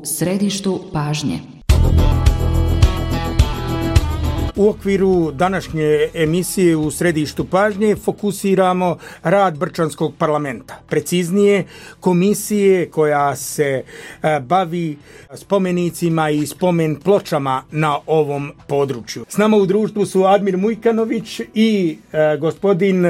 središtu pažnje. U okviru današnje emisije u središtu pažnje fokusiramo rad Brčanskog parlamenta. Preciznije, komisije koja se bavi spomenicima i spomen pločama na ovom području. S nama u društvu su Admir Mujkanović i gospodin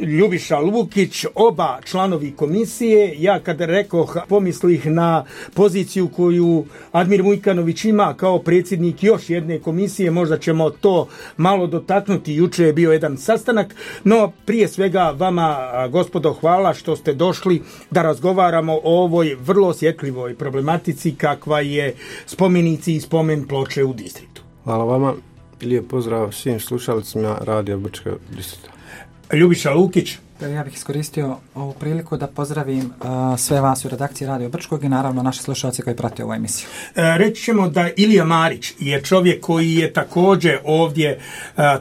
Ljubiša Lukić, oba članovi komisije. Ja kada rekoh, pomislih na poziciju koju Admir Mujkanović ima kao predsjednik još jedne komisije, možda ćemo to malo dotaknuti. Juče je bio jedan sastanak, no prije svega vama, gospodo, hvala što ste došli da razgovaramo o ovoj vrlo osjetljivoj problematici kakva je spomenici i spomen ploče u distriktu. Hvala vama, lijep pozdrav svim slušalicima Radio Brčkog distrikta. Ljubiša Lukić. Ja bih iskoristio ovu priliku da pozdravim sve vas u redakciji Radio Brčkog i naravno naše slušalce koji prate ovu emisiju. Reći ćemo da Ilija Marić je čovjek koji je također ovdje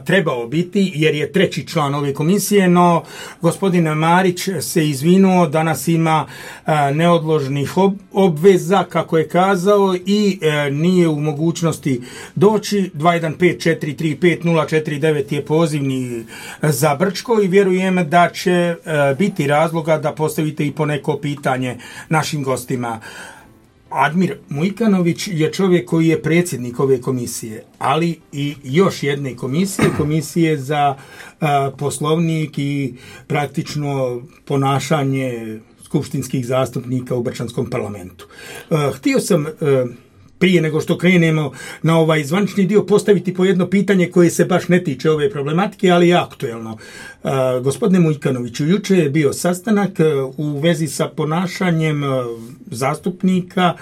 trebao biti jer je treći član ove komisije, no gospodin Marić se izvinuo, danas ima neodložnih obveza, kako je kazao, i nije u mogućnosti doći. 215-435-049 je pozivni za Brčko i vjerujem da će biti razloga da postavite i poneko pitanje našim gostima. Admir Mujkanović je čovjek koji je predsjednik ove komisije, ali i još jedne komisije za poslovnik i praktično ponašanje skupštinskih zastupnika u Brčanskom parlamentu. Htio sam prije nego što krenemo na ovaj zvanični dio postaviti po jedno pitanje koje se baš ne tiče ove problematike, ali je aktuelno. Gospodine Mujkanoviću, juče je bio sastanak u vezi sa ponašanjem zastupnika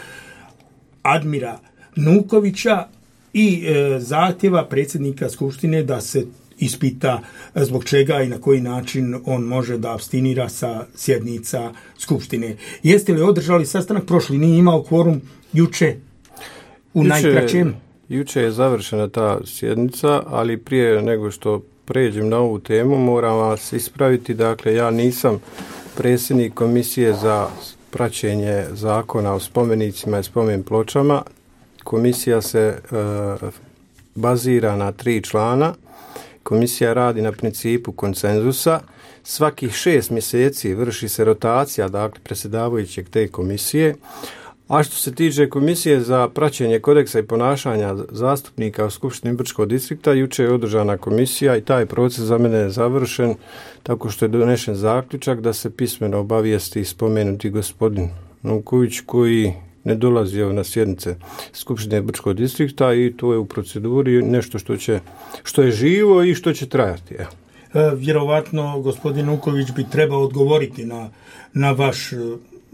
Admira Nukovića i zahtjeva predsjednika Skupštine da se ispita zbog čega i na koji način on može da apstinira sa sjednica Skupštine. Jeste li održali sastanak? Prošli nije imao kvorum, juče u najkraćem. Juče je završena ta sjednica, ali prije nego što pređem na ovu temu moram vas ispraviti. Dakle, ja nisam predsjednik komisije za praćenje zakona o spomenicima i spomen pločama. Komisija se bazira na 3 člana. Komisija radi na principu konsenzusa. Svakih 6 mjeseci vrši se rotacija, dakle, predsjedavajućeg te komisije. A što se tiče komisije za praćenje kodeksa i ponašanja zastupnika u Skupštini Brčkog distrikta, juče je održana komisija i taj proces za mene je završen tako što je donešen zaključak da se pismeno obavijesti spomenuti gospodin Nuković koji ne dolazi na sjednice Skupštine Brčkog distrikta i to je u proceduri nešto što je živo i što će trajati. Vjerovatno gospodin Nuković bi trebao odgovoriti na vaš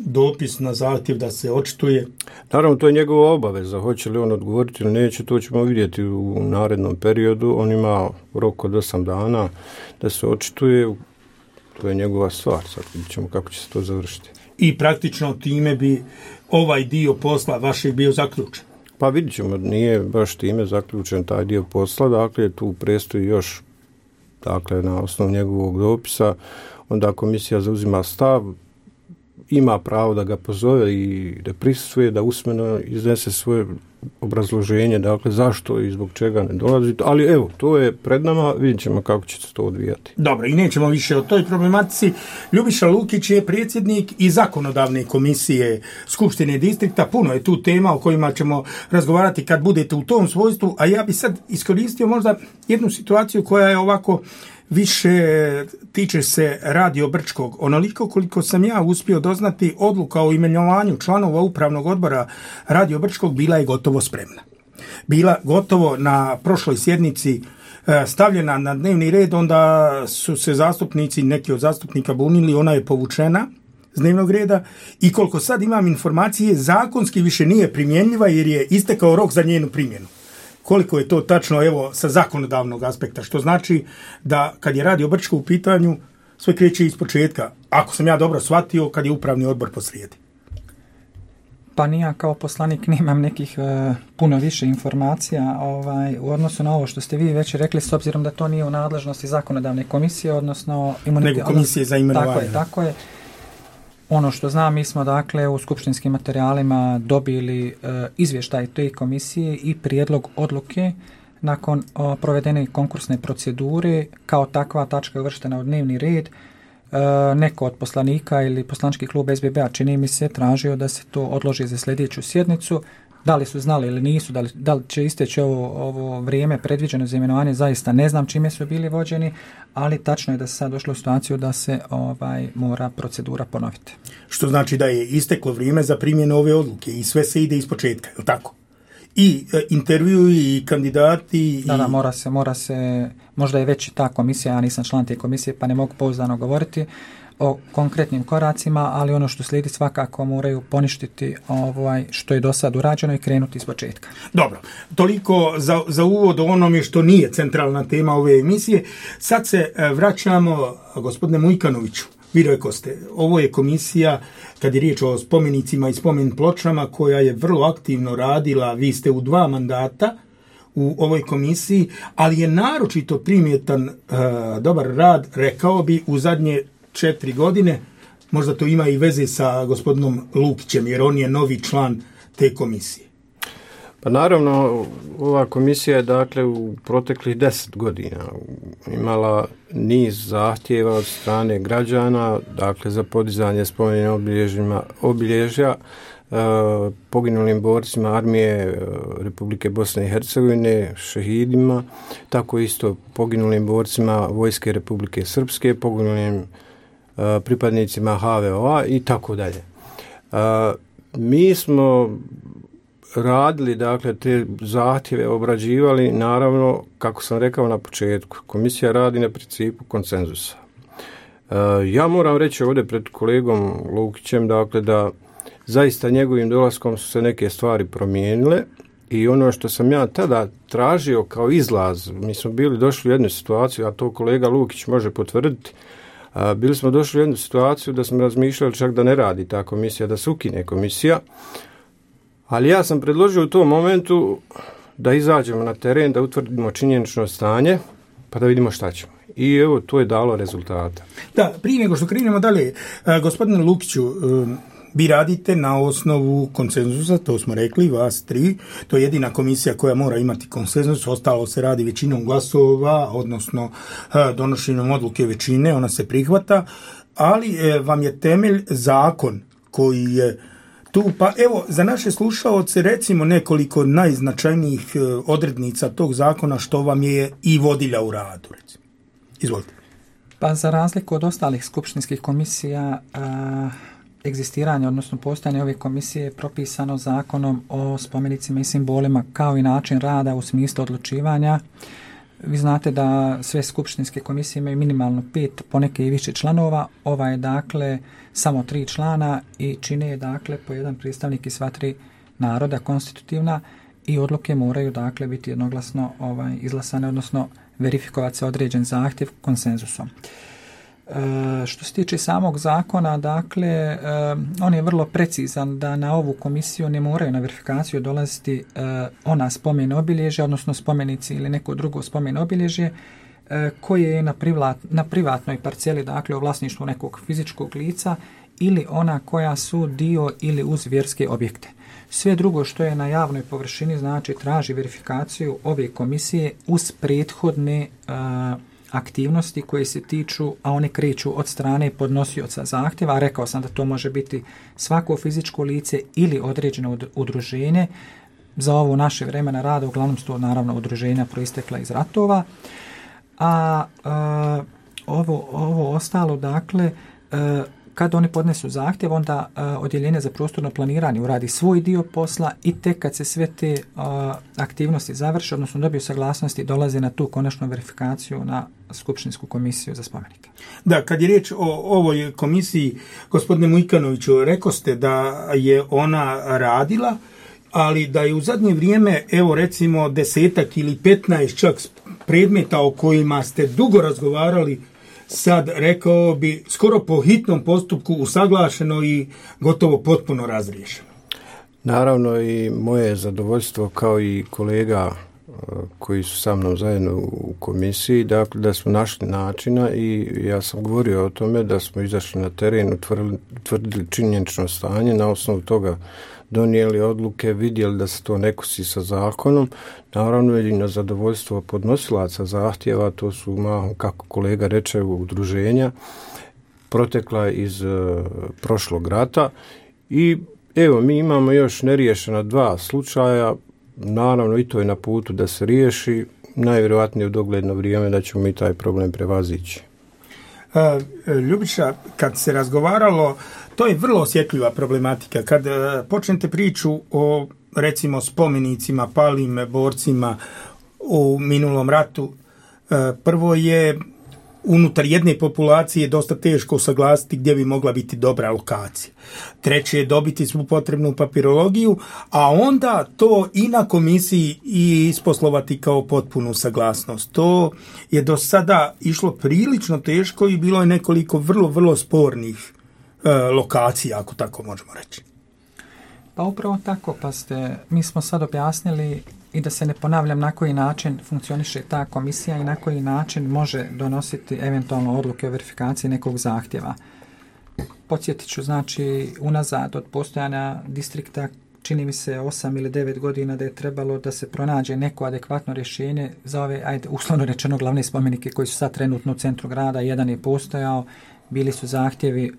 dopis, na zahtjev da se očituje. Naravno, to je njegova obaveza. Hoće li on odgovoriti ili neće, to ćemo vidjeti u narednom periodu. On ima rok od 8 dana da se očituje. To je njegova stvar. Sad vidjet ćemo kako će se to završiti. I praktično time bi ovaj dio posla vašeg bio zaključen? Pa vidjet ćemo, nije baš time zaključen taj dio posla. Dakle, tu predstoji još, dakle, na osnovu njegovog dopisa. Onda komisija zauzima stav, ima pravo da ga pozove i da prisustvuje, da usmeno iznese svoje obrazloženje, dakle zašto i zbog čega ne dolazi. Ali evo, to je pred nama, vidjet ćemo kako će se to odvijati. Dobro, i nećemo više o toj problematici. Ljubiša Lukić je predsjednik i zakonodavne komisije Skupštine distrikta. Puno je tu tema o kojima ćemo razgovarati kad budete u tom svojstvu, a ja bi sad iskoristio možda jednu situaciju koja je ovako više tiče se Radio Brčkog. Onoliko koliko sam ja uspio doznati, odluka o imenovanju članova upravnog odbora Radio Brčkog bila je gotovo spremna. Bila gotovo na prošloj sjednici stavljena na dnevni red, onda su se zastupnici, neki od zastupnika bunili, ona je povučena s dnevnog reda i koliko sad imam informacije, zakonski više nije primjenjiva jer je istekao rok za njenu primjenu. Koliko je to tačno, evo, sa zakonodavnog aspekta, što znači da kad je Radio Brčko u pitanju, sve kreće iz početka, ako sam ja dobro shvatio, kad je upravni odbor posrijedi. Pa ja kao poslanik nemam nekih puno više informacija u odnosu na ovo što ste vi već rekli, s obzirom da to nije u nadležnosti zakonodavne komisije, odnosno nego komisije za imenovanje. Tako je. Ono što znam, mi smo dakle u skupštinskim materijalima dobili izvještaj te komisije i prijedlog odluke nakon provedene konkursne procedure. Kao takva tačka je uvrštena u dnevni red. Neko od poslanika ili poslančki klub SBB-a, čini mi se, tražio da se to odloži za sljedeću sjednicu. Da li su znali ili nisu, da li će isteći ovo vrijeme predviđeno za imenovanje, zaista ne znam čime su bili vođeni, ali tačno je da se sad došlo u situaciju da se mora procedura ponoviti. Što znači da je isteklo vrijeme za primjenu ove odluke i sve se ide iz početka, je li tako? I intervju i kandidati. Da, mora se, možda je već ta komisija, ja nisam član te komisije pa ne mogu pouzdano govoriti o konkretnim koracima, ali ono što slijedi svakako moraju poništiti što je do sad urađeno i krenuti iz početka. Dobro, toliko za uvod o onome što nije centralna tema ove emisije. Sad se vraćamo, gospodine Mujkanoviću, vi rekoste, ovo je komisija, kad je riječ o spomenicima i spomen pločama, koja je vrlo aktivno radila, vi ste u 2 mandata u ovoj komisiji, ali je naročito primjetan dobar rad, rekao bi, u zadnje 4 godine, možda to ima i veze sa gospodinom Lukićem, jer on je novi član te komisije. Pa naravno, ova komisija je dakle u proteklih 10 godina imala niz zahtjeva od strane građana, dakle za podizanje spomenika obilježja poginulim borcima armije Republike Bosne i Hercegovine, šehidima, tako isto poginulim borcima Vojske Republike Srpske, poginulim pripadnicima HVO-a i tako dalje. Mi smo radili, dakle, te zahtjeve obrađivali, naravno, kako sam rekao na početku, komisija radi na principu konsenzusa. Ja moram reći ovdje pred kolegom Lukićem, dakle, da zaista njegovim dolaskom su se neke stvari promijenile i ono što sam ja tada tražio kao izlaz, mi smo bili došli u jednu situaciju, a to kolega Lukić može potvrditi, bili smo došli u jednu situaciju da smo razmišljali čak da ne radi ta komisija, da se ukine komisija, ali ja sam predložio u tom momentu da izađemo na teren, da utvrdimo činjenično stanje, pa da vidimo šta ćemo. I evo, to je dalo rezultata. Da, prije nego što krenemo dalje, gospodine Lukiću, vi radite na osnovu konsenzusa, to smo rekli, vas 3, to je jedina komisija koja mora imati konsenzus, ostalo se radi većinom glasova, odnosno donošenjem odluke većine, ona se prihvata, ali vam je temelj zakon koji je tu, pa evo, za naše slušaoce recimo nekoliko najznačajnijih odrednica tog zakona što vam je i vodilja u radu, recimo. Izvolite. Pa za razliku od ostalih skupštinskih komisija, egzistiranje, odnosno postojanje ove komisije je propisano zakonom o spomenicima i simbolima kao i način rada u smislu odlučivanja. Vi znate da sve skupštinske komisije imaju minimalno 5, poneke i više članova. Ova je dakle samo 3 člana i čine je dakle po jedan predstavnik iz sva 3 naroda konstitutivna i odluke moraju dakle biti jednoglasno izglasane, odnosno verifikovati se određen zahtjev konsenzusom. Što se tiče samog zakona, dakle, on je vrlo precizan da na ovu komisiju ne moraju na verifikaciju dolaziti ona spomen obilježja, odnosno spomenici ili neko drugo spomen obilježje koje je na privatnoj parceli, dakle u vlasništvu nekog fizičkog lica ili ona koja su dio ili uz vjerske objekte. Sve drugo što je na javnoj površini, znači traži verifikaciju ove komisije uz prethodne aktivnosti koje se tiču, a one kreću od strane podnosioca zahtjeva, a rekao sam da to može biti svako fizičko lice ili određeno udruženje. Za ovo naše vremena rada uglavnom su to naravno udruženja proistekla iz ratova, a ovo ostalo, dakle, kad oni podnesu zahtjev, onda odjeljenje za prostorno planiranje uradi svoj dio posla i tek kad se sve te aktivnosti završe, odnosno dobiju saglasnosti, dolaze na tu konačnu verifikaciju na Skupštinsku komisiju za spomenike. Da, kad je riječ o ovoj komisiji, gospodine Mujkanoviću, rekoste da je ona radila, ali da je u zadnje vrijeme, evo recimo 10 ili 15 čak predmeta o kojima ste dugo razgovarali, sad rekao bi skoro po hitnom postupku usaglašeno i gotovo potpuno razriješeno. Naravno i moje zadovoljstvo kao i kolega koji su sa mnom zajedno u komisiji, dakle da smo našli načina i ja sam govorio o tome da smo izašli na teren, utvrdili činjenično stanje, na osnovu toga donijeli odluke, vidjeli da se to ne kosi sa zakonom, naravno i na zadovoljstvo podnosilaca zahtjeva, to su mahom, kako kolega reče, udruženja, protekla iz prošlog rata i evo, mi imamo još neriješena 2 slučaja, naravno i to je na putu da se riješi, najvjerojatnije u dogledno vrijeme da ćemo i taj problem prevazići. Ljubiša, kad se razgovaralo, to je vrlo osjetljiva problematika. Kad počnete priču o, recimo, spomenicima, palim borcima u minulom ratu, prvo je unutar jedne populacije dosta teško usaglasiti gdje bi mogla biti dobra lokacija. Treće je dobiti svu potrebnu papirologiju, a onda to i na komisiji i isposlovati kao potpunu saglasnost. To je do sada išlo prilično teško i bilo je nekoliko vrlo spornih lokacija, ako tako možemo reći. Pa upravo tako, mi smo sad objasnili i da se ne ponavljam na koji način funkcioniše ta komisija i na koji način može donositi eventualno odluke o verifikaciji nekog zahtjeva. Podsjetit ću, znači, unazad od postojanja distrikta, čini mi se 8 ili 9 godina da je trebalo da se pronađe neko adekvatno rješenje za ove, uslovno rečeno, glavne spomenike koji su sad trenutno u centru grada. Jedan je postojao, bili su zahtjevi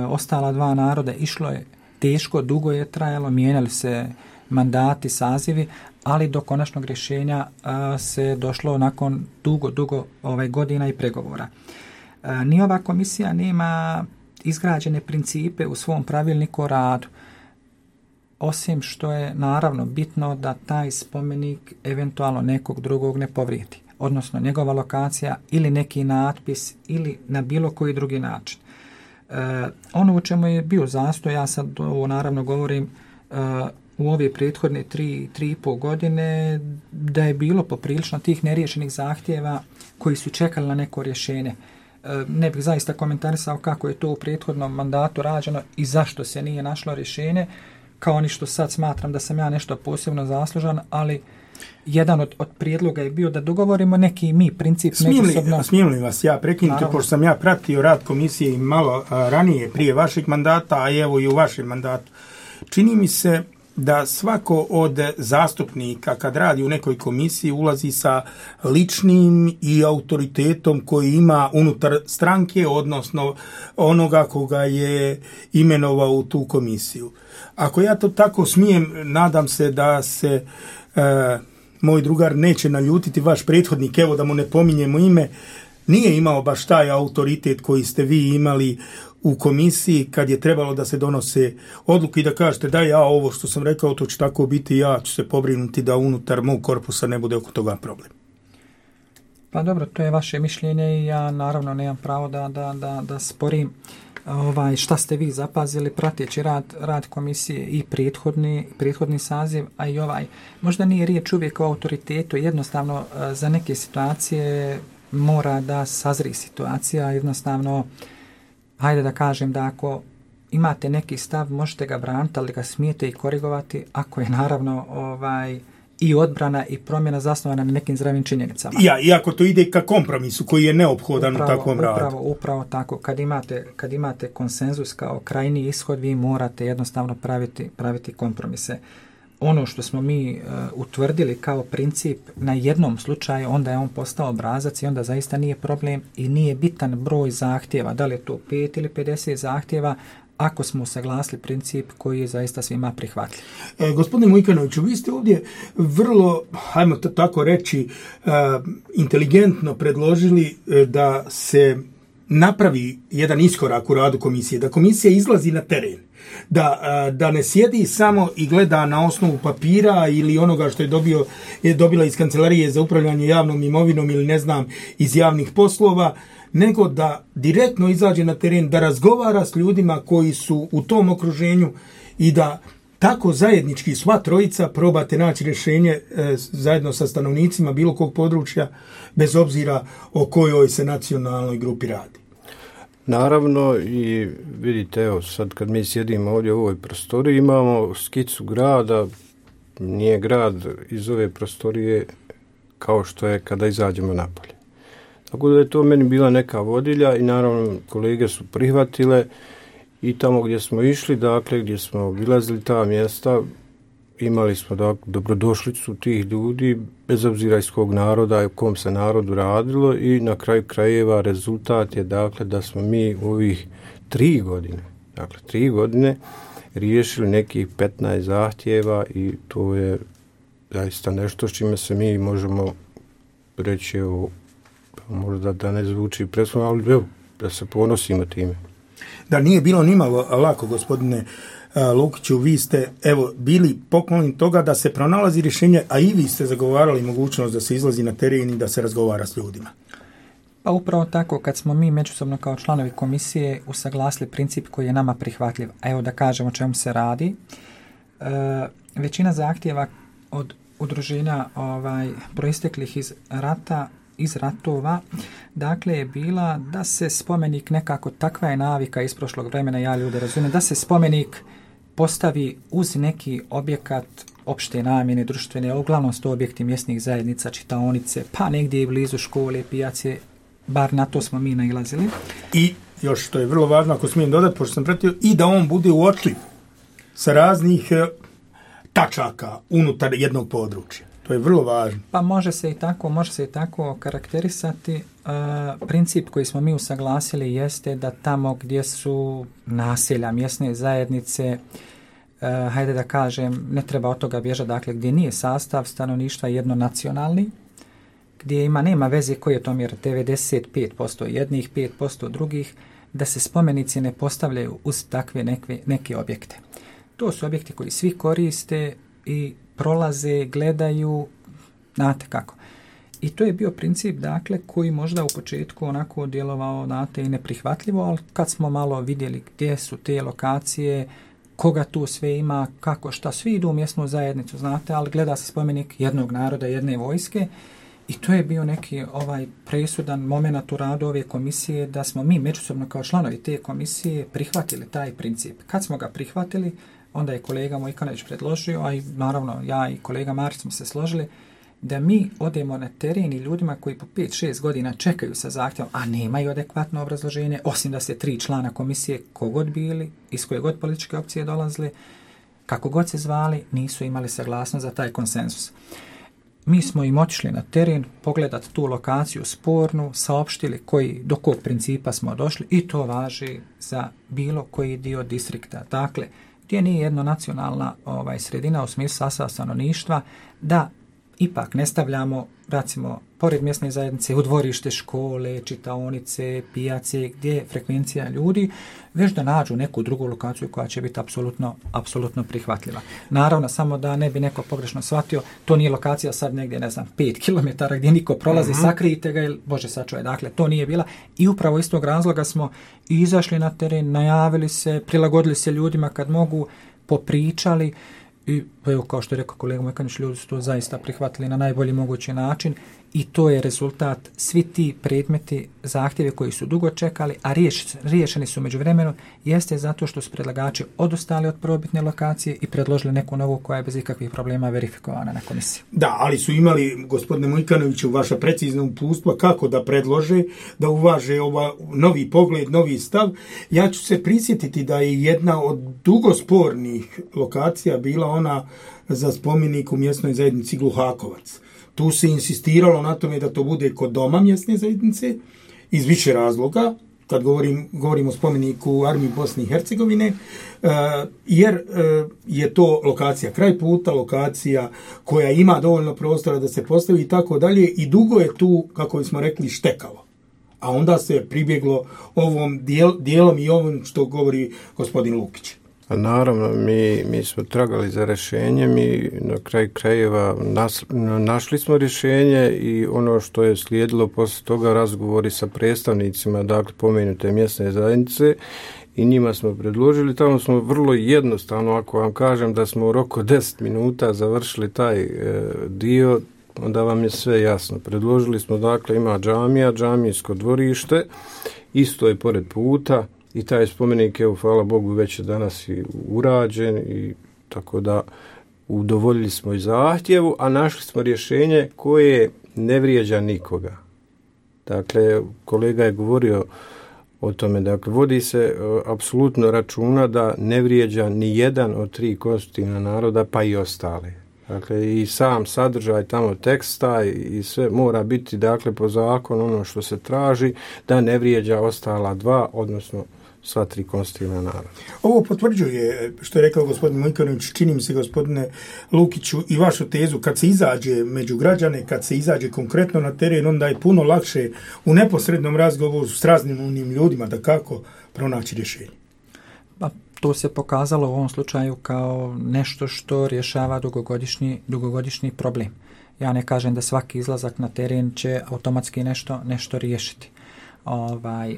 ostala 2 naroda, išlo je teško, dugo je trajalo, mijenjali se mandati, sazivi, ali do konačnog rješenja se došlo nakon dugo godina i pregovora. Ni ova komisija nema izgrađene principe u svom pravilniku o radu, osim što je naravno bitno da taj spomenik eventualno nekog drugog ne povrijedi, odnosno njegova lokacija ili neki natpis ili na bilo koji drugi način. Ono u čemu je bio zastoj, ja sad ovo naravno govorim u ove prethodne 3,5 godine, da je bilo poprilično tih neriješenih zahtjeva koji su čekali na neko rješenje. Ne bih zaista komentarisao kako je to u prethodnom mandatu rađeno i zašto se nije našlo rješenje, kao ni što sad smatram da sam ja nešto posebno zaslužan, ali jedan od prijedloga je bio da dogovorimo neki mi princip međusobno. Smijem li vas ja prekinuti, pošto sam ja pratio rad komisije i malo ranije prije vašeg mandata, a evo i u vašem mandatu. Čini mi se da svako od zastupnika kad radi u nekoj komisiji ulazi sa ličnim i autoritetom koji ima unutar stranke, odnosno onoga koga je imenovao u tu komisiju. Ako ja to tako smijem, nadam se da se moj drugar neće naljutiti, vaš prethodnik, evo da mu ne pominjemo ime, nije imao baš taj autoritet koji ste vi imali u komisiji kad je trebalo da se donose odluke i da kažete da ja ovo što sam rekao to će tako biti, ja ću se pobrinuti da unutar mog korpusa ne bude oko toga problem. Pa dobro, to je vaše mišljenje i ja naravno nemam pravo da sporim šta ste vi zapazili prateći rad komisije i prethodni saziv, a i ovaj. Možda nije riječ uvijek o autoritetu, jednostavno za neke situacije mora da sazri situacija, jednostavno hajde da kažem da ako imate neki stav možete ga braniti, ali ga smijete i korigovati ako je naravno i odbrana i promjena zasnovana na nekim zdravim činjenicama. I ako to ide ka kompromisu koji je neophodan u takvom radu. Upravo tako. Kad imate konsenzus kao krajnji ishod, vi morate jednostavno praviti kompromise. Ono što smo mi utvrdili kao princip na jednom slučaju, onda je on postao obrazac i onda zaista nije problem i nije bitan broj zahtjeva. Da li je to 5 ili 50 zahtjeva, ako smo usaglasili princip koji je zaista svima prihvatljiv. Gospodine Mujkanoviću, vi ste ovdje vrlo, hajmo to tako reći, inteligentno predložili da se napravi jedan iskorak u radu komisije, da komisija izlazi na teren, da ne sjedi samo i gleda na osnovu papira ili onoga što je dobila iz Kancelarije za upravljanje javnom imovinom ili ne znam iz javnih poslova, nego da direktno izađe na teren, da razgovara s ljudima koji su u tom okruženju i da tako zajednički sva trojica probate naći rješenje zajedno sa stanovnicima bilo kog područja, bez obzira o kojoj se nacionalnoj grupi radi. Naravno, i vidite, evo sad kad mi sjedimo ovdje u ovoj prostoriji, imamo skicu grada, nije grad iz ove prostorije kao što je kada izađemo napolje. Tako da je to meni bila neka vodilja i naravno kolege su prihvatile i tamo gdje smo išli, dakle gdje smo obilazili ta mjesta, imali smo dobrodošlicu tih ljudi, bez obzira iz kog naroda i u kom se narodu radilo i na kraju krajeva rezultat je dakle da smo mi u ovih 3 godine riješili nekih 15 zahtjeva i to je zaista nešto s čime se mi možemo reći, evo, možda da ne zvuči presudno, ali evo, da se ponosimo time. Da nije bilo nimalo lako, gospodine Lukiću, vi ste bili pokloni toga da se pronalazi rješenje, a i vi ste zagovarali mogućnost da se izlazi na teren i da se razgovara s ljudima. Pa upravo tako, kad smo mi međusobno kao članovi komisije usaglasili princip koji je nama prihvatljiv, a evo da kažemo o čemu se radi, većina zahtjeva od udruženja proisteklih iz ratova, dakle je bila da se spomenik nekako, takva je navika iz prošlog vremena, ja ljude razumijem, da se spomenik postavi uz neki objekat opšte namjene, društvene, uglavnom su to objekti mjesnih zajednica, čitaonice, pa negdje blizu škole, pijace, bar na to smo mi nailazili. I još što je vrlo važno, ako smijem dodati, pošto sam pratio, i da on bude uočljiv sa raznih tačaka unutar jednog područja. To je vrlo važno. Pa može se i tako karakterisati. Princip koji smo mi usaglasili jeste da tamo gdje su naselja, mjesne zajednice, hajde da kažem, ne treba od toga bježati, dakle gdje nije sastav stanovništva jednonacionalni, gdje nema veze koji je to mjer 95% jednih, 5% drugih, da se spomenici ne postavljaju uz takve neke objekte. To su objekti koji svi koriste i prolaze, gledaju, znate kako. I to je bio princip, dakle, koji možda u početku onako djelovao, znate, i neprihvatljivo, ali kad smo malo vidjeli gdje su te lokacije, koga tu sve ima, kako, šta, svi idu u mjesnu zajednicu, znate, ali gleda se spomenik jednog naroda, jedne vojske i to je bio neki presudan moment u radu ove komisije da smo mi međusobno kao članovi te komisije prihvatili taj princip. Kad smo ga prihvatili, onda je kolega Mojkanović predložio, a i naravno ja i kolega Marić smo se složili, da mi odemo na teren i ljudima koji po 5-6 godina čekaju sa zahtjevom, a nemaju adekvatno obrazloženje, osim da se 3 člana komisije, kogod bili, iz koje god političke opcije dolazili, kako god se zvali, nisu imali saglasnost za taj konsenzus. Mi smo im otišli na teren, pogledati tu lokaciju spornu, saopštili do kog principa smo došli i to važi za bilo koji dio distrikta. Dakle, gdje nije jednonacionalna sredina u smislu sastava stanovništva, da ipak ne stavljamo, recimo, pored mjesne zajednice u dvorište škole, čitaonice, pijace, gdje je frekvencija ljudi, već da nađu neku drugu lokaciju koja će biti apsolutno prihvatljiva. Naravno, samo da ne bi neko pogrešno shvatio, to nije lokacija sad negdje, 5 km gdje niko prolazi, sakrijite ga ili Bože sačuvaj. Dakle, to nije bila. I upravo iz tog razloga smo izašli na teren, najavili se, prilagodili se ljudima kad mogu, popričali. I evo, kao što je rekao kolega Mojkanić, ljudi su to zaista prihvatili na najbolji mogući način i to je rezultat. Svi ti predmeti, zahtjeve koji su dugo čekali, a riješeni su međuvremenu, jeste zato što su predlagači odustali od prvobitne lokacije i predložili neku novu koja je bez ikakvih problema verifikovana na komisiji. Da, ali su imali, gospodine Mojkanoviću, vaša precizna uputstva kako da predlože, da uvaže novi pogled, novi stav. Ja ću se prisjetiti da je jedna od dugospornih lokacija bila ona za spomenik u mjesnoj zajednici Gluhakovac. Tu se insistiralo na tome da to bude kod doma mjesne zajednice iz više razloga, kad govorimo o spomeniku Armiji Bosne i Hercegovine, jer je to lokacija kraj puta, lokacija koja ima dovoljno prostora da se postavi i tako dalje i dugo je tu, kako smo rekli, štekalo. A onda se pribjeglo ovom dijelom i ovom što govori gospodin Lukić. Naravno, mi smo tragali za rješenjem i na kraju krajeva našli smo rješenje i ono što je slijedilo poslije toga razgovori sa predstavnicima, dakle pomenute mjesne zajednice i njima smo predložili, tamo smo vrlo jednostavno, ako vam kažem da smo u roku 10 minuta završili taj dio, onda vam je sve jasno. Predložili smo, dakle, ima džamijsko dvorište, isto je pored puta, i taj spomenik, evo, hvala Bogu, već je danas i urađen i tako da udovoljili smo i zahtjevu, a našli smo rješenje koje ne vrijeđa nikoga. Dakle, kolega je govorio o tome, dakle, vodi se apsolutno računa da ne vrijeđa ni jedan od 3 konstitutivna naroda, pa i ostale. Dakle, i sam sadržaj tamo teksta i sve mora biti, dakle, po zakonu ono što se traži, da ne vrijeđa ostala 2, odnosno sva 3 konstitutivna naroda. Ovo potvrđuje, što je rekao gospodin Mujkanović, čini mi se, gospodine Lukiću, i vašu tezu, kad se izađe među građane, kad se izađe konkretno na teren, onda je puno lakše u neposrednom razgovoru s raznim unim ljudima da kako pronaći rješenje. Pa, to se pokazalo u ovom slučaju kao nešto što rješava dugogodišnji problem. Ja ne kažem da svaki izlazak na teren će automatski nešto riješiti.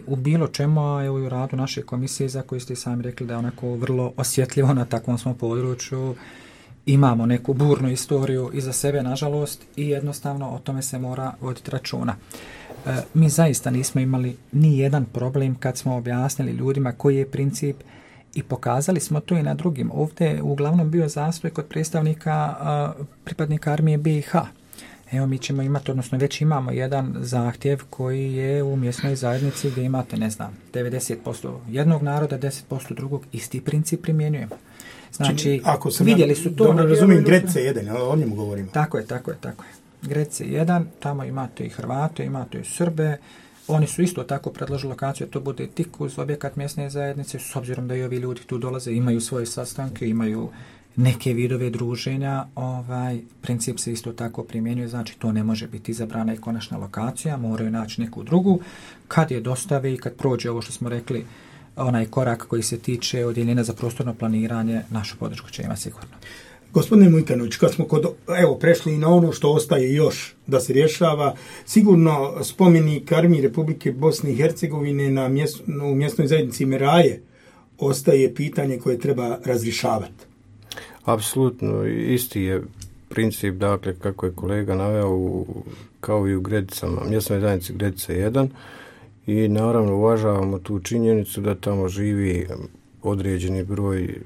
U bilo čemu, a evo i u radu naše komisije, za koju ste sami rekli da je onako vrlo osjetljivo na takvom smo području, imamo neku burnu istoriju iza sebe, nažalost, i jednostavno o tome se mora voditi računa. Mi zaista nismo imali ni jedan problem kad smo objasnili ljudima koji je princip i pokazali smo to i na drugim. Ovdje je uglavnom bio zastoj kod predstavnika pripadnika armije BiH. Evo, mi ćemo imati, odnosno već imamo jedan zahtjev koji je u mjesnoj zajednici gdje imate, 90% jednog naroda, 10% drugog, isti princip primjenjujemo. Znači, vidjeli su to... Dobro, razumijem, Gredice 1, o njemu govorimo. Tako je. Gredice 1, tamo imate i Hrvate, imate i Srbe, oni su isto tako predložili lokaciju, to bude tik uz objekat mjesne zajednice, s obzirom da i ovi ljudi tu dolaze, imaju svoje sastanke, imaju neke vidove druženja, princip se isto tako primjenjuje, znači to ne može biti izabrana i konačna lokacija, moraju naći neku drugu. Kad je dostave i kad prođe ovo što smo rekli, onaj korak koji se tiče odjeljenja za prostorno planiranje, našu podršku će imati sigurno. Gospodine Mujkanović, kad smo prešli i na ono što ostaje još da se rješava, sigurno spomenik Armiji Republike Bosne i Hercegovine u mjesnoj zajednici Meraje ostaje pitanje koje treba razrješavati. Apsolutno, isti je princip, dakle, kako je kolega naveo, kao i u Gredicama, mjesnoj zajednici Gredice 1, i naravno uvažavamo tu činjenicu da tamo živi određeni broj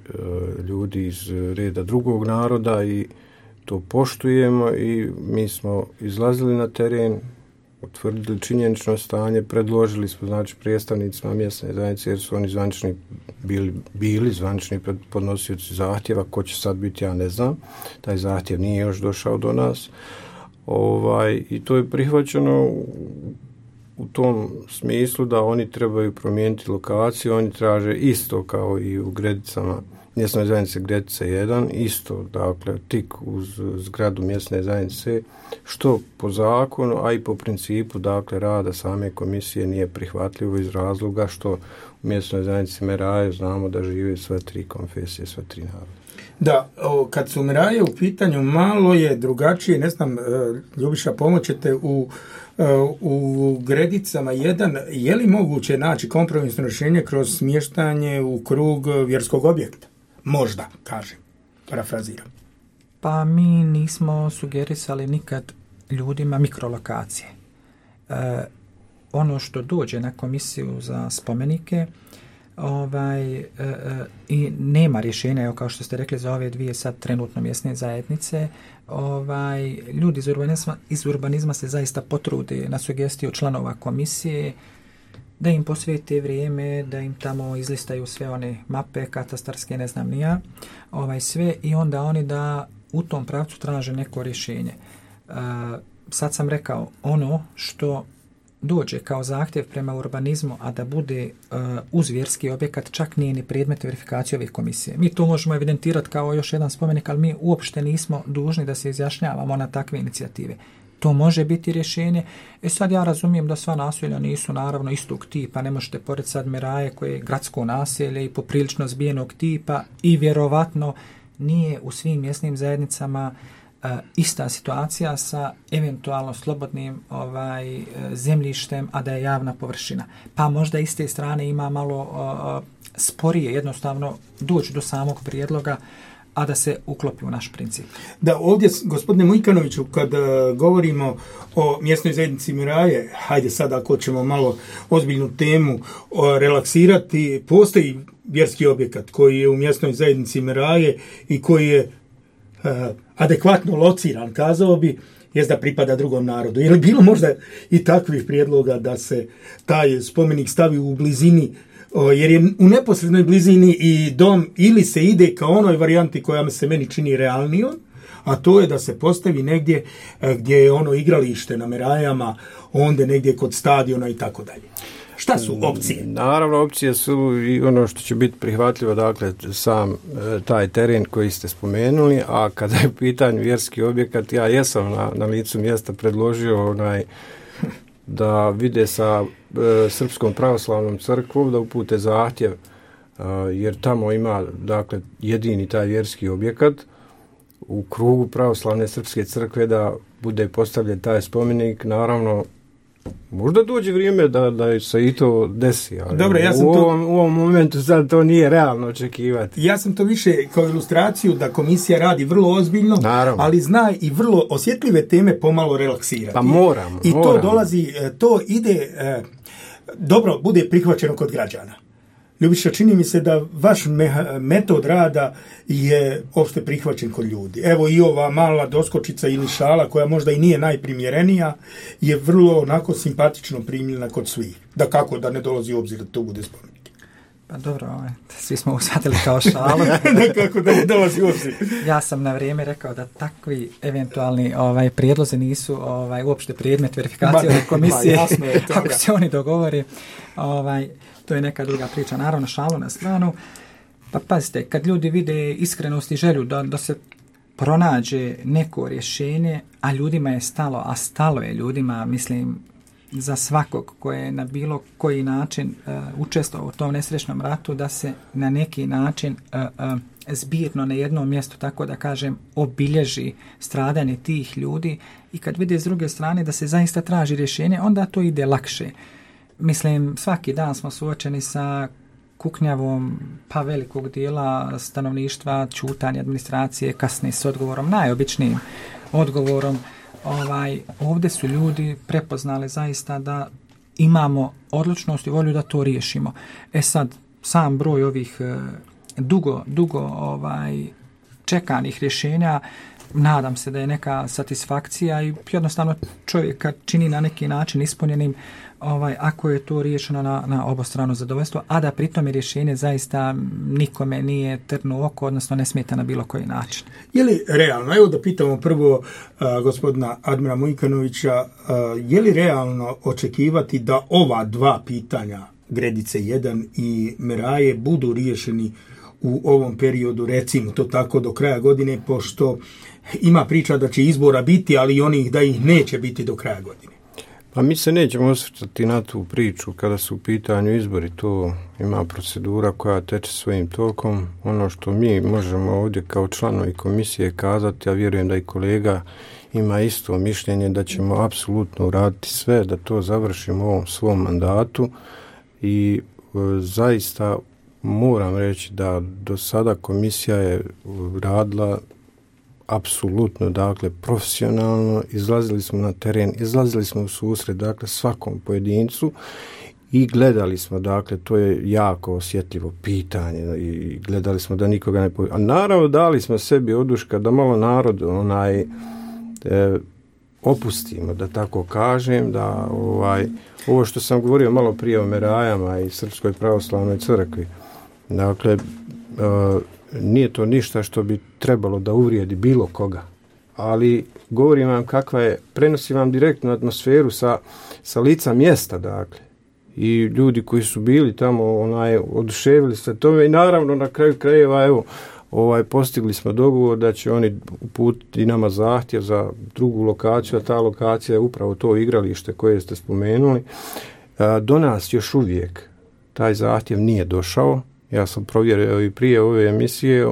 ljudi iz reda drugog naroda i to poštujemo, i mi smo izlazili na teren, utvrdili činjenično stanje, predložili smo, znači, predstavnicima mjesne zajednice, jer su oni bili zvanični podnosioci zahtjeva, ko će sad biti, ja ne znam, taj zahtjev nije još došao do nas, i to je prihvaćeno u tom smislu da oni trebaju promijeniti lokaciju, oni traže isto kao i u Gredicama, mjesnoj zajednice Gredice 1, isto, dakle, tik uz zgradu mjesne zajednice, što po zakonu, a i po principu, dakle, rada same komisije nije prihvatljivo iz razloga što u mjesnoj zajednici Meraje znamo da žive sve 3 konfesije, sve 3 naroda. Da, kad su Meraje u pitanju, malo je drugačije, ne znam, Ljubiša, pomoćete u Gredicama 1, je li moguće naći kompromisno rješenje kroz smještanje u krug vjerskog objekta? Možda, kažem, parafraziram. Pa mi nismo sugerisali nikad ljudima mikrolokacije. Ono što dođe na komisiju za spomenike, i nema rješenja, evo, kao što ste rekli, za ove 2 sad trenutno mjesne zajednice, ljudi iz urbanizma se zaista potrude na sugestiju članova komisije da im posvete vrijeme, da im tamo izlistaju sve one mape katastarske, ne znam ni ja, sve, i onda oni da u tom pravcu traže neko rješenje. Sad sam rekao, ono što dođe kao zahtjev prema urbanizmu, a da bude uz vjerski objekat, čak nije ni predmet verifikacije ove komisije. Mi to možemo evidentirati kao još jedan spomenik, ali mi uopšte nismo dužni da se izjašnjavamo na takve inicijative. To može biti rješenje. Sad ja razumijem da sva naselja nisu naravno istog tipa, ne možete pored sad Meraje koje je gradsko naselje i poprilično zbijenog tipa, i vjerovatno nije u svim mjesnim zajednicama ista situacija sa eventualno slobodnim zemljištem, a da je javna površina. Pa možda iz te strane ima malo sporije jednostavno doći do samog prijedloga, a da se uklopi u naš princip. Da, ovdje, gospodine Mujkanoviću, kad govorimo o mjesnoj zajednici Meraje, hajde sad ako ćemo malo ozbiljnu temu relaksirati, postoji vjerski objekat koji je u mjesnoj zajednici Meraje i koji je adekvatno lociran, kazao bi, jest da pripada drugom narodu. Je li bilo možda i takvih prijedloga da se taj spomenik stavi u blizini, jer je u neposrednoj blizini i dom, ili se ide ka onoj varijanti koja se meni čini realnijom, a to je da se postavi negdje gdje je ono igralište na Merajama, onda negdje kod stadiona i tako dalje. Šta su opcije? Naravno, opcije su i ono što će biti prihvatljivo, dakle, sam taj teren koji ste spomenuli, a kada je u pitanju vjerski objekat, ja jesam na licu mjesta predložio da vide sa Srpskom pravoslavnom crkvom da upute zahtjev, jer tamo ima, dakle, jedini taj vjerski objekat u krugu pravoslavne srpske crkve da bude postavljen taj spomenik. Naravno, možda dođe vrijeme da se i to desi, ali dobro, u ovom momentu sad to nije realno očekivati. Ja sam to više kao ilustraciju da komisija radi vrlo ozbiljno, naravno, ali zna i vrlo osjetljive teme pomalo relaksirati. Pa moramo. To dolazi, to ide, dobro, bude prihvaćeno kod građana. Ljubiša, čini mi se da vaš metod rada je opšte prihvaćen kod ljudi. Evo i ova mala doskočica ili šala, koja možda i nije najprimjerenija, je vrlo onako simpatično primljena kod svih. Da kako da ne dolazi u obzir da to bude spomenik. Pa dobro, svi smo ushvatili kao šalu. Da kako da ne dolazi u obzir. Ja sam na vrijeme rekao da takvi eventualni prijedlozi nisu uopšte predmet verifikacije komisije. Jasno je to, ako se oni dogovori, to je neka druga priča. Naravno, šalu na stranu. Pa pazite, kad ljudi vide iskrenost i želju da se pronađe neko rješenje, a ljudima je stalo, a stalo je ljudima, mislim, za svakog koji je na bilo koji način učestvovao u tom nesrećnom ratu, da se na neki način zbirno na jednom mjestu, tako da kažem, obilježi stradanje tih ljudi, i kad vide s druge strane da se zaista traži rješenje, onda to ide lakše. Mislim, svaki dan smo suočeni sa kuknjavom pa velikog dijela stanovništva, ćutanje administracije, kasni s odgovorom, najobičnijim odgovorom. Ovdje su ljudi prepoznali zaista da imamo odlučnost i volju da to riješimo. Sad, sam broj ovih dugo čekanih rješenja, nadam se da je neka satisfakcija i jednostavno čovjeka čini na neki način ispunjenim ako je to riješeno na obostrano zadovoljstvo, a da pritom je rješenje zaista nikome nije trnu oko, odnosno ne smeta na bilo koji način. Je li realno, evo da pitamo prvo gospodina Admira Mujkanovića, je li realno očekivati da ova dva pitanja, Gredice 1 i Meraje, budu riješeni u ovom periodu, recimo to tako, do kraja godine, pošto ima priča da će izbora biti, ali i onih da ih neće biti do kraja godine? Pa mi se nećemo osvrtati na tu priču kada su u pitanju izbori. To ima procedura koja teče svojim tokom. Ono što mi možemo ovdje kao članovi komisije kazati, ja vjerujem da i kolega ima isto mišljenje, da ćemo apsolutno uraditi sve da to završimo u ovom svom mandatu, i zaista moram reći da do sada komisija je radila apsolutno, dakle, profesionalno, izlazili smo na teren, izlazili smo u susret, dakle, svakom pojedincu i gledali smo, dakle, to je jako osjetljivo pitanje i gledali smo da nikoga ne a naravno dali smo sebi oduška da malo narod opustimo, da tako kažem, da ovo što sam govorio malo prije o Merajama i Srpskoj pravoslavnoj crkvi, dakle, nije to ništa što bi trebalo da uvrijedi bilo koga, ali govorim vam kakva je, prenosim vam direktnu atmosferu sa lica mjesta, dakle, i ljudi koji su bili tamo oduševili se tome, i naravno na kraju krajeva, evo, postigli smo dogovor da će oni uputiti nama zahtjev za drugu lokaciju, a ta lokacija je upravo to igralište koje ste spomenuli. Do nas još uvijek taj zahtjev nije došao. Ja sam provjerio i prije ove emisije,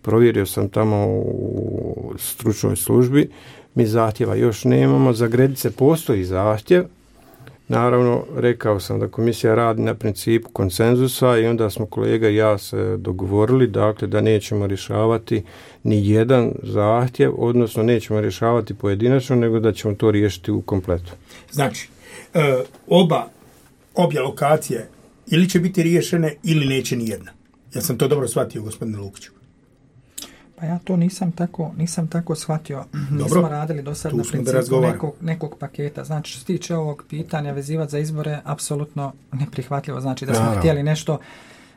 provjerio sam tamo u stručnoj službi, mi zahtjeva još nemamo, za Gredice postoji zahtjev. Naravno, rekao sam da komisija radi na principu konsenzusa i onda smo kolega i ja se dogovorili, dakle, da nećemo rješavati ni jedan zahtjev, odnosno nećemo rješavati pojedinačno, nego da ćemo to riješiti u kompletu. Znači, obje lokacije ili će biti riješene ili neće ni jedna. Ja sam to dobro shvatio, gospodine Lukiću. Pa ja to nisam tako shvatio. Dobro. Nismo radili do sad na principu nekog paketa. Znači, što se tiče ovog pitanja vezivati za izbore, apsolutno neprihvatljivo. Znači, da smo htjeli nešto,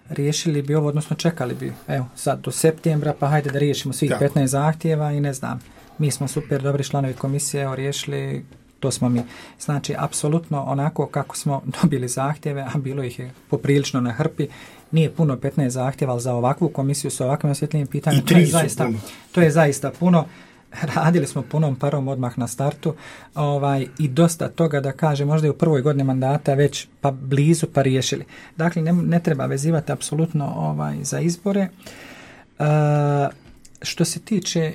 riješili bi ovo, odnosno čekali bi, evo, sad do septembra, pa hajde da riješimo svih 15 zahtjeva i ne znam, mi smo super dobri članovi komisije, evo, riješili, to smo mi. Znači, apsolutno onako kako smo dobili zahtjeve, a bilo ih je poprilično na hrpi, nije puno 15 zahtjeva, ali za ovakvu komisiju sa ovakvim osjetljivim pitanjem, to je zaista puno. Radili smo punom parom odmah na startu i dosta toga, da kaže, možda i u prvoj godini mandata već pa blizu pa riješili. Dakle, ne treba vezivati apsolutno za izbore. Što se tiče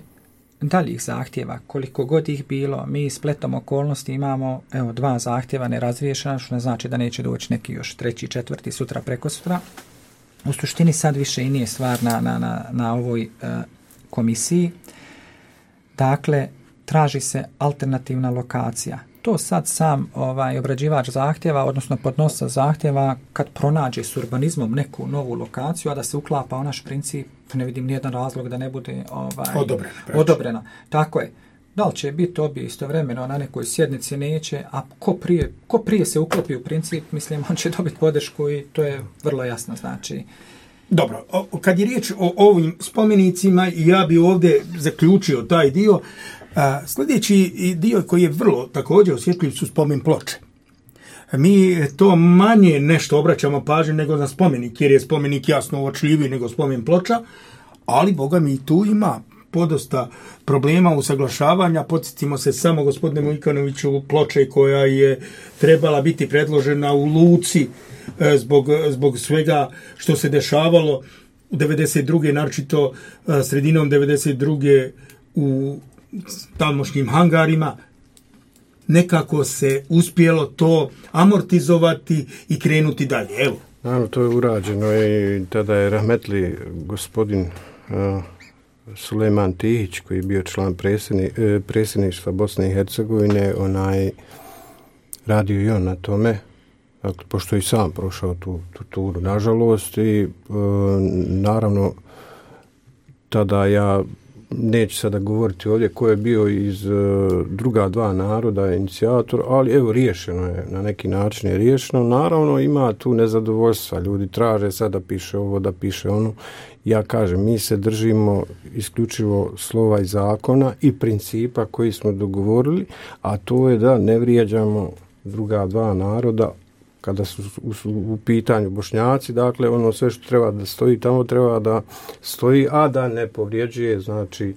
daljih zahtjeva, koliko god ih bilo, mi spletom okolnosti imamo 2 zahtjeva nerazriješena, što ne znači da neće doći neki još 3., 4. sutra, prekosutra. U suštini sad više i nije stvar na ovoj komisiji. Dakle, traži se alternativna lokacija. To sad sam obrađivač zahtjeva, odnosno podnosac zahtjeva, kad pronađe s urbanizmom neku novu lokaciju, a da se uklapa u naš princip, ne vidim nijedan razlog da ne bude odobrena. Tako je. Da li će biti obje istovremeno na nekoj sjednici, neće, a ko prije se uklopi u princip, mislim, on će dobiti podršku i to je vrlo jasno, znači. Dobro, kad je riječ o ovim spomenicima, ja bi ovdje zaključio taj dio. Sljedeći dio koji je vrlo također osjetljiv su spomen ploče. Mi to manje nešto obraćamo pažnju nego na spomenik, jer je spomenik jasno uočljiviji nego spomen ploča, ali boga mi tu ima podosta problema usaglašavanja. Podsjetimo se samo, gospodine Mujkanoviću, ploče koja je trebala biti predložena u Luci zbog svega što se dešavalo u 92. naročito sredinom 92. u tamošnjim hangarima. Nekako se uspjelo to amortizovati i krenuti dalje. Evo. Naravno, to je urađeno i tada je rahmetli gospodin Sulejman Tihić, koji je bio član predsjedništva Bosne i Hercegovine, radio i on na tome, dakle, pošto je i sam prošao tu turu, nažalost, i naravno tada ja neću sada govoriti ovdje ko je bio iz druga 2 naroda inicijator, ali evo, riješeno je, na neki način je riješeno. Naravno, ima tu nezadovoljstva, ljudi traže sad da piše ovo, da piše ono. Ja kažem, mi se držimo isključivo slova i zakona i principa koji smo dogovorili, a to je da ne vrijeđamo druga 2 naroda kada su u pitanju Bošnjaci. Dakle, ono sve što treba da stoji tamo treba da stoji, a da ne povrijeđuje, znači,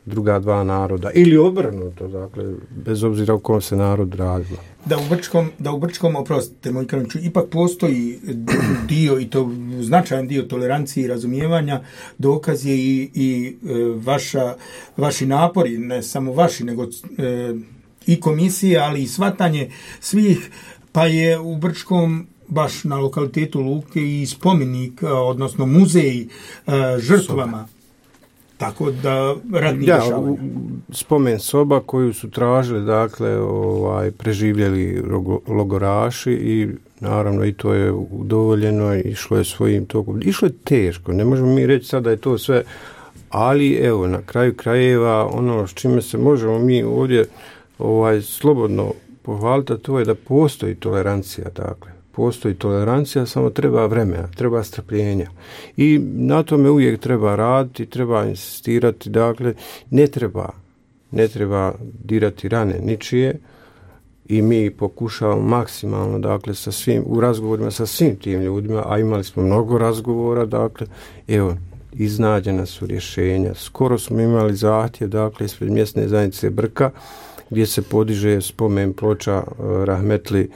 druga 2 naroda. Ili obrnuto, dakle, bez obzira u kom se narod radilo. Da u Brčkom, oprostite, moj Kraniću, ipak postoji dio, i to značajan dio tolerancije i razumijevanja. Dokaz je i vaši napori, ne samo vaši, nego i komisije, ali i shvatanje svih. Pa je u Brčkom, baš na lokalitetu Luke, i spomenik, odnosno muzej žrtvama. Tako da radni dešavanja. Spomen soba koju su tražili, dakle, preživjeli logoraši, i naravno i to je udovoljeno, išlo je svojim tokom. Išlo je teško, ne možemo mi reći sad da je to sve, ali evo, na kraju krajeva, ono s čime se možemo mi ovdje slobodno pohvaliti, to je da postoji tolerancija, dakle. Postoji tolerancija, samo treba vremena, treba strpljenja. I na tome uvijek treba raditi, treba insistirati, dakle, ne treba dirati rane ničije, i mi pokušavamo maksimalno, dakle, u razgovorima sa svim tim ljudima, a imali smo mnogo razgovora, dakle, evo, iznađena su rješenja. Skoro smo imali zahtjev, dakle, ispred mjesne zajednice Brka, gdje se podiže spomen ploča rahmetli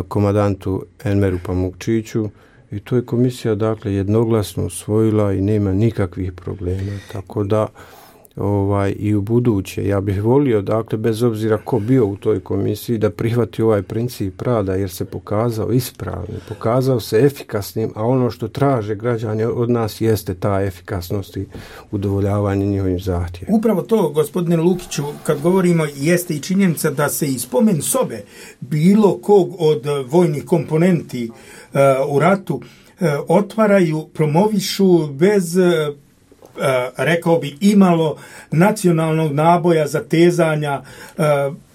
komandantu Enveru Pamukčiću, i to je komisija, dakle, jednoglasno usvojila i nema nikakvih problema, tako da i u buduće ja bih volio, dakle, bez obzira ko bio u toj komisiji, da prihvati ovaj princip rada, jer se pokazao ispravnim, pokazao se efikasnim, a ono što traže građani od nas jeste ta efikasnost i udovoljavanje njihovim zahtjevima. Upravo to, gospodine Lukiću, kad govorimo, jeste i činjenica da se i spomen sobe bilo kog od vojnih komponenti u ratu otvaraju, promovišu bez rekao bi, imalo nacionalnog naboja, zatezanja,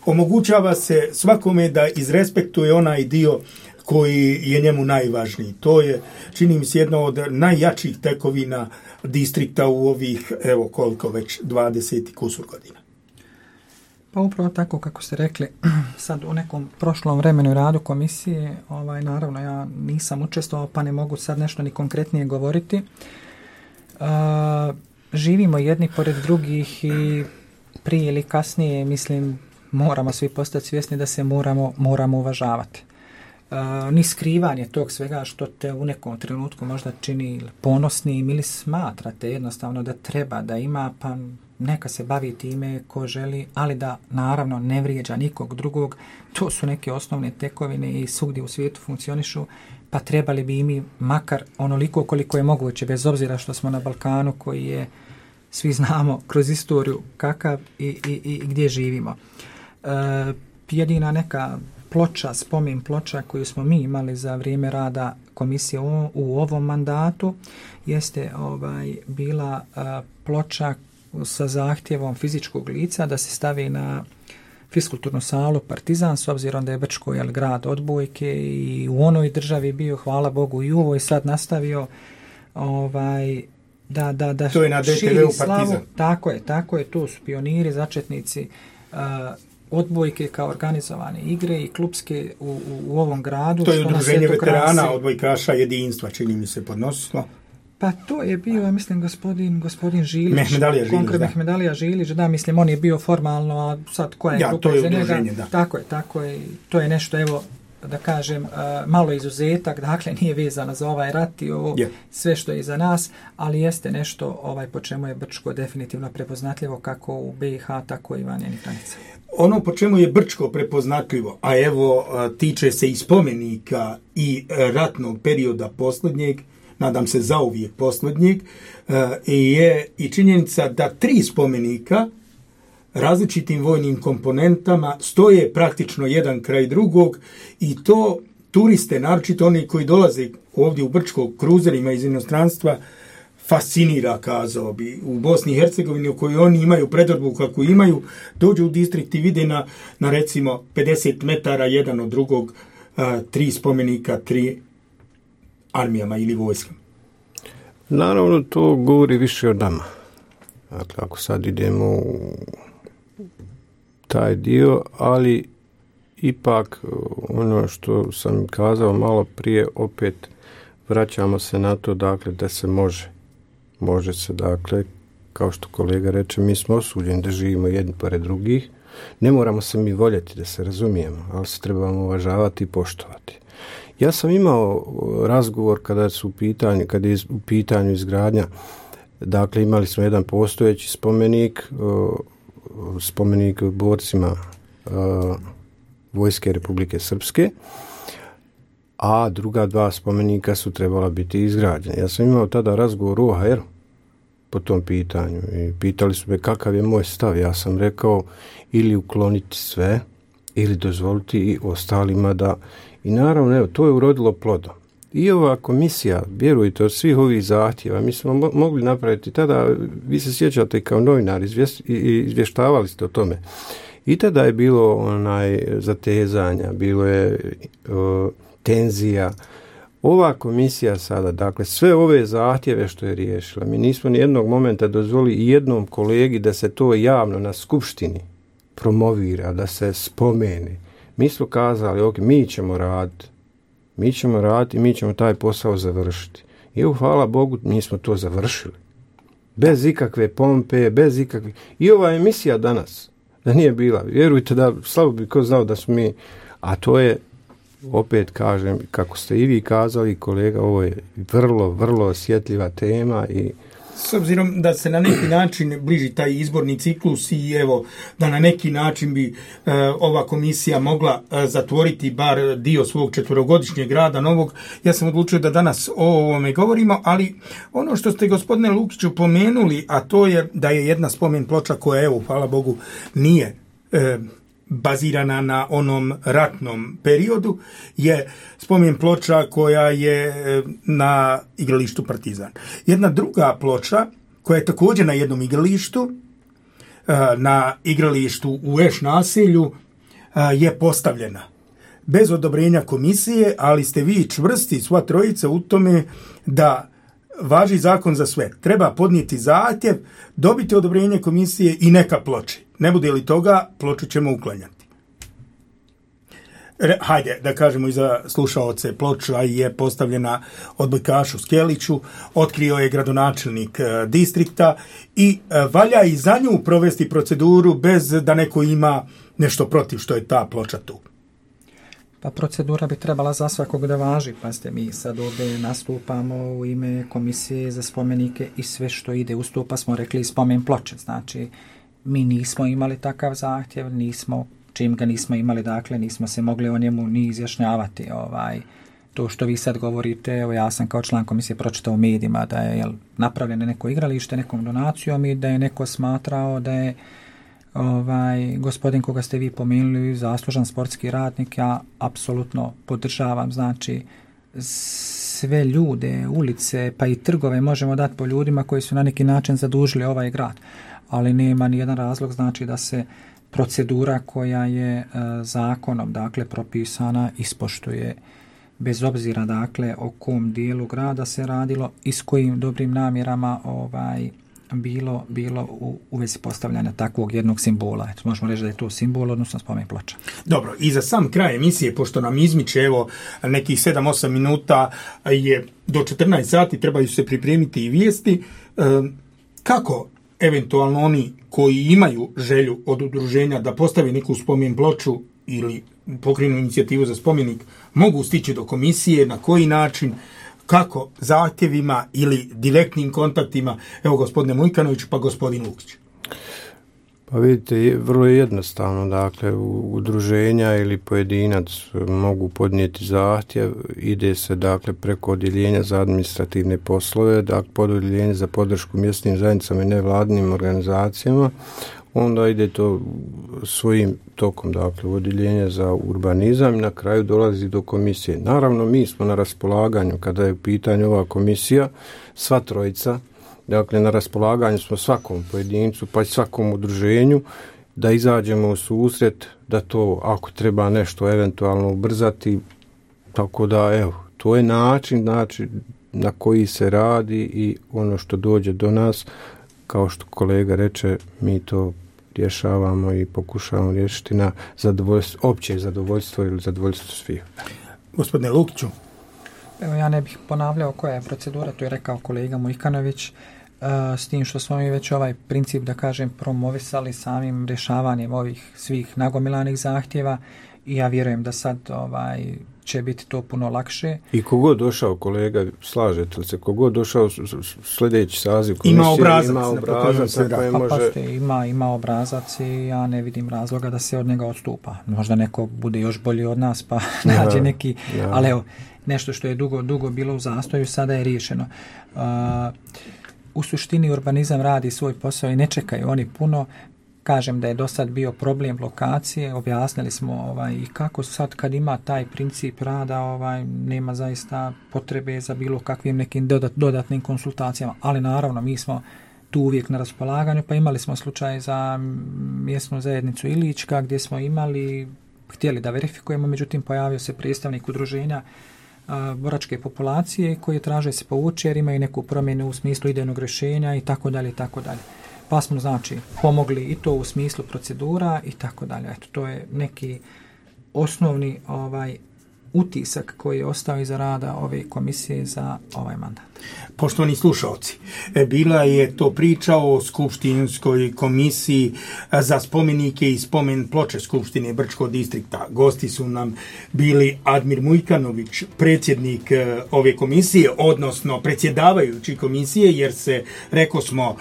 omogućava se svakome da izrespektuje onaj dio koji je njemu najvažniji. To je, čini mi se, jedno od najjačih tekovina distrikta u ovih, evo koliko već, 20 kusur godina. Pa upravo tako kako ste rekli, sad u nekom prošlom vremenu radu komisije, naravno ja nisam učestvovao pa ne mogu sad nešto ni konkretnije govoriti. Živimo jedni pored drugih i prije ili kasnije, mislim, moramo svi postati svjesni da se moramo uvažavati. Ni skrivanje tog svega što te u nekom trenutku možda čini ponosnim ili smatrate jednostavno da treba da ima, pa neka se bavi time ko želi, ali da naravno ne vrijeđa nikog drugog. To su neke osnovne tekovine i svugdje u svijetu funkcionišu, pa trebali bi i mi makar onoliko koliko je moguće, bez obzira što smo na Balkanu koji je, svi znamo kroz istoriju kakav i gdje živimo. Jedina neka ploča, spomen ploča koju smo mi imali za vrijeme rada komisije u ovom mandatu jeste bila ploča sa zahtjevom fizičkog lica da se stavi na fiskulturnu salu Partizan, s obzirom da je Brčko grad odbojke i u onoj državi bio, hvala Bogu, i u ovoj sad nastavio da to je na DTV-u Partizan. Tako je, to su pioniri, začetnici odbojke kao organizovane igre i klubske u ovom gradu. To je udruženje veterana odbojkaša jedinstva, čini mi se, podnosilo. Pa to je bio, ja mislim, gospodin Žilić. Mehmedalija Žilić, da, mislim, on je bio formalno, a sad koja je grupa za njega. Tako je. To je nešto, evo, da kažem, malo izuzetak, dakle, nije vezano za ovaj rat i ovo, sve što je iza nas, ali jeste nešto po čemu je Brčko definitivno prepoznatljivo, kako u BiH, tako i van njenih granica. Ono po čemu je Brčko prepoznatljivo, a evo, tiče se i spomenika i ratnog perioda posljednjeg, nadam se zauvijek posljednjeg, je i činjenica da 3 spomenika različitim vojnim komponentama stoje praktično jedan kraj drugog i to turiste, naročito oni koji dolaze ovdje u Brčko kruzerima iz inostranstva, fascinira, kazao bi. U Bosni i Hercegovini, u kojoj oni imaju predodbu kako imaju, dođu u distrikt i vide na recimo 50 metara jedan od drugog 3 spomenika, 3 armijama ili vojskama. Naravno, to govori više o nama. Dakle, ako sad idemo u taj dio, ali ipak ono što sam kazao malo prije, opet vraćamo se na to, dakle, da se može se, dakle, kao što kolega reče, mi smo osuđeni da živimo jedni pored drugih, ne moramo se mi voljeti, da se razumijemo, ali se trebamo uvažavati i poštovati. Ja sam imao razgovor kada je u pitanju izgradnja, dakle, imali smo jedan postojeći spomenik borcima Vojske Republike Srpske, a druga 2 spomenika su trebala biti izgrađene. Ja sam imao tada razgovor u OHR po tom pitanju i pitali su me kakav je moj stav. Ja sam rekao ili ukloniti sve ili dozvoliti i ostalima da... I naravno, evo, to je urodilo plodom. I ova komisija, vjerujte, od svih ovih zahtjeva, mi smo mogli napraviti tada, vi se sjećate kao novinar, izvještavali ste o tome. I tada je bilo zatezanja, bilo je tenzija. Ova komisija sada, dakle, sve ove zahtjeve što je riješila, mi nismo ni jednog momenta dozvolili i jednom kolegi da se to javno na skupštini promovira, da se spomene. Mi smo kazali, ok, mi ćemo raditi i mi ćemo taj posao završiti. I hvala Bogu, mi smo to završili. Bez ikakve pompe, bez ikakve... I ova emisija danas, da nije bila, vjerujte da slabo bi ko znao da smo mi, a to je, opet kažem, kako ste i vi kazali, kolega, ovo je vrlo, vrlo osjetljiva tema i s obzirom da se na neki način bliži taj izborni ciklus i evo da na neki način bi ova komisija mogla zatvoriti bar dio svog 4-godišnjeg rada novog, ja sam odlučio da danas o ovome govorimo, ali ono što ste, gospodine Lukiću, pomenuli, a to je da je jedna spomen ploča koja, evo, hvala Bogu, nije bazirana na onom ratnom periodu, je spomen ploča koja je na igralištu Partizan. Jedna druga ploča koja je također na jednom igralištu, na igralištu u Eš naselju, je postavljena bez odobrenja komisije, ali ste vi čvrsti, sva trojica, u tome da važi zakon za sve. Treba podnijeti zahtjev, dobiti odobrenje komisije i neka ploči. Ne bude li toga, ploču ćemo uklanjati. Hajde, da kažemo i za slušaoce, ploča je postavljena odbojkašu Skeliću, otkrio je gradonačelnik distrikta i valja i za nju provesti proceduru bez da neko ima nešto protiv što je ta ploča tu. Pa procedura bi trebala za svakog da važi. Pazite, mi sad ovdje nastupamo u ime komisije za spomenike i sve što ide uz to, pa smo rekli spomen ploče. Znači, mi nismo imali takav zahtjev, čim ga nismo imali, dakle, nismo se mogli o njemu ni izjašnjavati. To što vi sad govorite, evo ja sam kao član komisije pročitao u medijima da je napravljeno neko igralište nekom donacijom i da je neko smatrao da je gospodin koga ste vi pomenuli zaslužan sportski radnik. Ja apsolutno podržavam, znači sve ljude, ulice pa i trgove možemo dati po ljudima koji su na neki način zadužili ovaj grad, ali nema ni jedan razlog znači da se procedura koja je zakonom dakle propisana ispoštuje bez obzira dakle o kom dijelu grada se radilo i s kojim dobrim namjerama bilo u vezi postavljanja takvog jednog simbola. Eto, možemo reći da je to simbol, odnosno spomen ploča. Dobro, i za sam kraj emisije, pošto nam izmiče evo nekih 7-8 minuta, je do 14 sati, trebaju se pripremiti i vijesti. Kako eventualno oni koji imaju želju od udruženja da postave neku spomen ploču ili pokrenu inicijativu za spomenik, mogu stići do komisije, na koji način, kako, zahtjevima ili direktnim kontaktima, evo gospodine Mujkanović pa gospodin Lukić? Pa vidite, vrlo je jednostavno, dakle, udruženja ili pojedinac mogu podnijeti zahtjev, ide se dakle preko odjeljenja za administrativne poslove, dakle pod odjeljenje za podršku mjesnim zajednicama i nevladinim organizacijama, onda ide to svojim tokom, dakle, u odjeljenje za urbanizam i na kraju dolazi do komisije. Naravno, mi smo na raspolaganju, kada je u pitanju ova komisija, sva trojica, dakle, na raspolaganju smo svakom pojedincu, pa i svakom udruženju, da izađemo u susret, da to, ako treba nešto eventualno ubrzati, tako da, evo, to je način na koji se radi i ono što dođe do nas, kao što kolega reče, mi to rješavamo i pokušavamo riješiti na opće zadovoljstvo ili zadovoljstvo svih. Gospodine Lukiću. Evo, ja ne bih ponavljao koja je procedura, to je rekao kolega Mujkanović, s tim što smo mi već ovaj princip, da kažem, promovisali samim rješavanjem ovih svih nagomilanih zahtjeva i ja vjerujem da sad će biti to puno lakše. I kogod došao, kolega, slažete li se, kogod došao sljedeći saziv komisije, ima obrazac na kojem može... Ima obrazac i ja ne vidim razloga da se od njega odstupa. Možda neko bude još bolji od nas pa nađe neki, ali evo, nešto što je dugo bilo u zastoju, sada je riješeno. U suštini urbanizam radi svoj posao i ne čekaju oni puno. Kažem da je do sad bio problem lokacije, objasnili smo i kako sad kad ima taj princip rada, nema zaista potrebe za bilo kakvim nekim dodatnim konsultacijama, ali naravno mi smo tu uvijek na raspolaganju, pa imali smo slučaj za mjesnu zajednicu Ilička gdje smo htjeli da verifikujemo, međutim pojavio se predstavnik udruženja boračke populacije koji traže se povući jer imaju neku promjenu u smislu idejnog rješenja i tako dalje. Pa smo znači pomogli i to u smislu procedura i tako dalje. Eto, to je neki osnovni utisak koji je ostao iza rada ove komisije za ovaj mandat. Poštovani slušalci, bila je to priča o Skupštinskoj komisiji za spomenike i spomen ploče Skupštine Brčkog distrikta. Gosti su nam bili Admir Mujkanović, predsjednik ove komisije, odnosno predsjedavajući komisije, jer se, reko smo,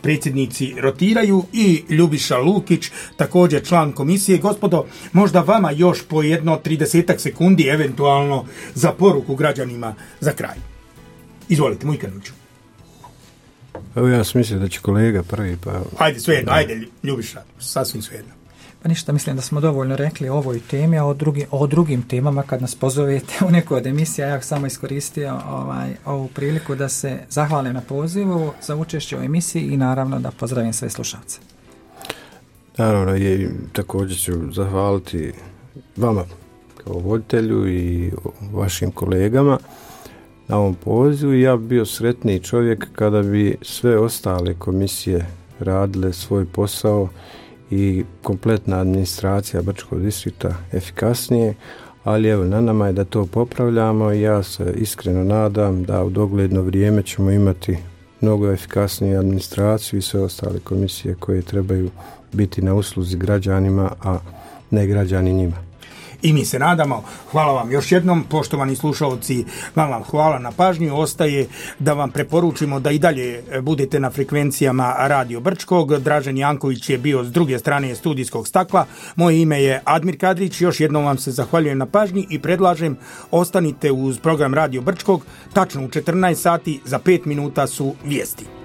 predsjednici rotiraju, i Ljubiša Lukić, također član komisije. Gospodo, možda vama još po 30 sekundi eventualno za poruku građanima za kraj. Izvolite, Mujkanoviću. Evo, ja sam mislio da će kolega prvi, pa... Ajde, svejedno, ajde, Ljubiša, sasvim svejedno. Pa ništa, mislim da smo dovoljno rekli o ovoj temi, a o drugim temama kad nas pozovete u neku od emisija, ja samo iskoristio ovu priliku da se zahvalim na pozivu za učešće u emisiji i naravno da pozdravim sve slušalce. Naravno, i također ću zahvaliti vama kao voditelju i vašim kolegama na ovom pozivu. Ja bi bio sretniji čovjek kada bi sve ostale komisije radile svoj posao i kompletna administracija Brčkog distrikta efikasnije, ali evo, na nama je da to popravljamo i ja se iskreno nadam da u dogledno vrijeme ćemo imati mnogo efikasniju administraciju i sve ostale komisije koje trebaju biti na usluzi građanima, a ne građani njima. I mi se nadamo. Hvala vam još jednom, poštovani slušalci, vam hvala na pažnju. Ostaje da vam preporučimo da i dalje budete na frekvencijama Radio Brčkog. Dražen Janković je bio s druge strane studijskog stakla. Moje ime je Admir Kadrić. Još jednom vam se zahvaljujem na pažnji i predlažem ostanite uz program Radio Brčkog. Tačno u 14 sati za 5 minuta su vijesti.